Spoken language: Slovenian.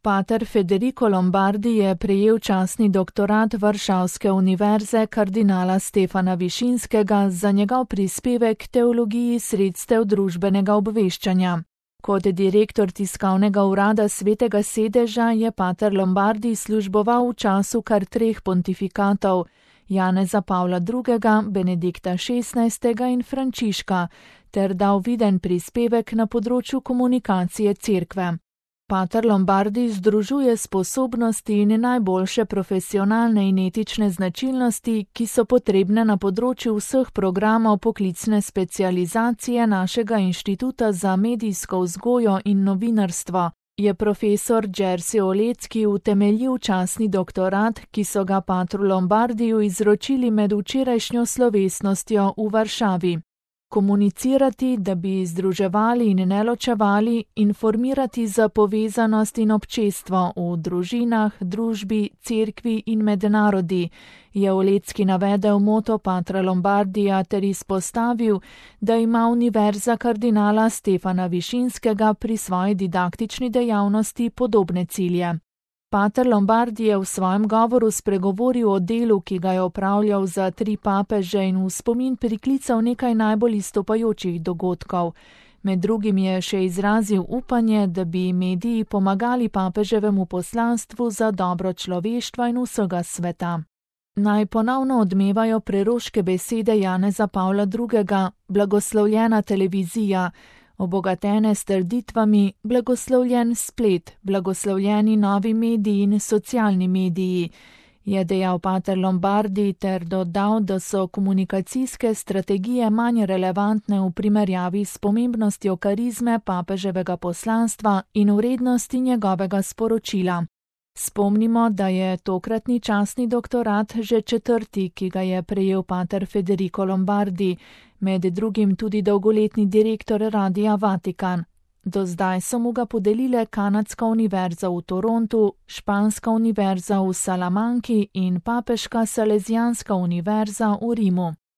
Pater Federico Lombardi je prejel častni doktorat Varšavske univerze kardinala Stefana Višinskega za njegov prispevek k teologiji sredstev družbenega obveščanja. Kot direktor tiskovnega urada Svetega sedeža je pater Lombardi služboval v času kar 3 pontifikatov, Janeza Pavla II., Benedikta XVI. In Frančiška, ter dal viden prispevek na področju komunikacije cerkve. Pater Lombardi združuje sposobnosti in najboljše profesionalne in etične značilnosti, ki so potrebne na področju vseh programov poklicne specializacije našega Inštituta za medijsko vzgojo in novinarstvo, je profesor Jerzy Olecki utemeljil častni doktorat, ki so ga patru Lombardiju izročili med včerajšnjo slovesnostjo v Varšavi. Komunicirati, da bi združevali in ne ločevali, informirati za povezanost in občestvo v družinah, družbi, cerkvi in med narodi, je Olecki navedel moto patra Lombardija ter izpostavil, da ima univerza kardinala Stefana Višinskega pri svoji didaktični dejavnosti podobne cilje. Pater Lombardi je v svojem govoru spregovoril o delu, ki ga je opravljal za 3 papeže in v spomin priklical nekaj najbolj izstopajočih dogodkov. Med drugim je še izrazil upanje, da bi mediji pomagali papeževemu poslanstvu za dobro človeštva in vsega sveta. Naj ponovno odmevajo preroške besede Janeza Pavla II., blagoslovljena televizija, obogatene s trditvami, blagoslovljen splet, blagoslovljeni novi mediji in socialni mediji, je dejal pater Lombardi ter dodal, da so komunikacijske strategije manj relevantne v primerjavi s pomembnostjo karizme papeževega poslanstva in vrednosti njegovega sporočila. Spomnimo, da je tokratni častni doktorat že 4., ki ga je prejel pater Federico Lombardi, med drugim tudi dolgoletni direktor Radia Vatikan. Do zdaj so mu ga podelile Kanadska univerza v Torontu, Španska univerza v Salamanki in Papeška Salesijanska univerza v Rimu.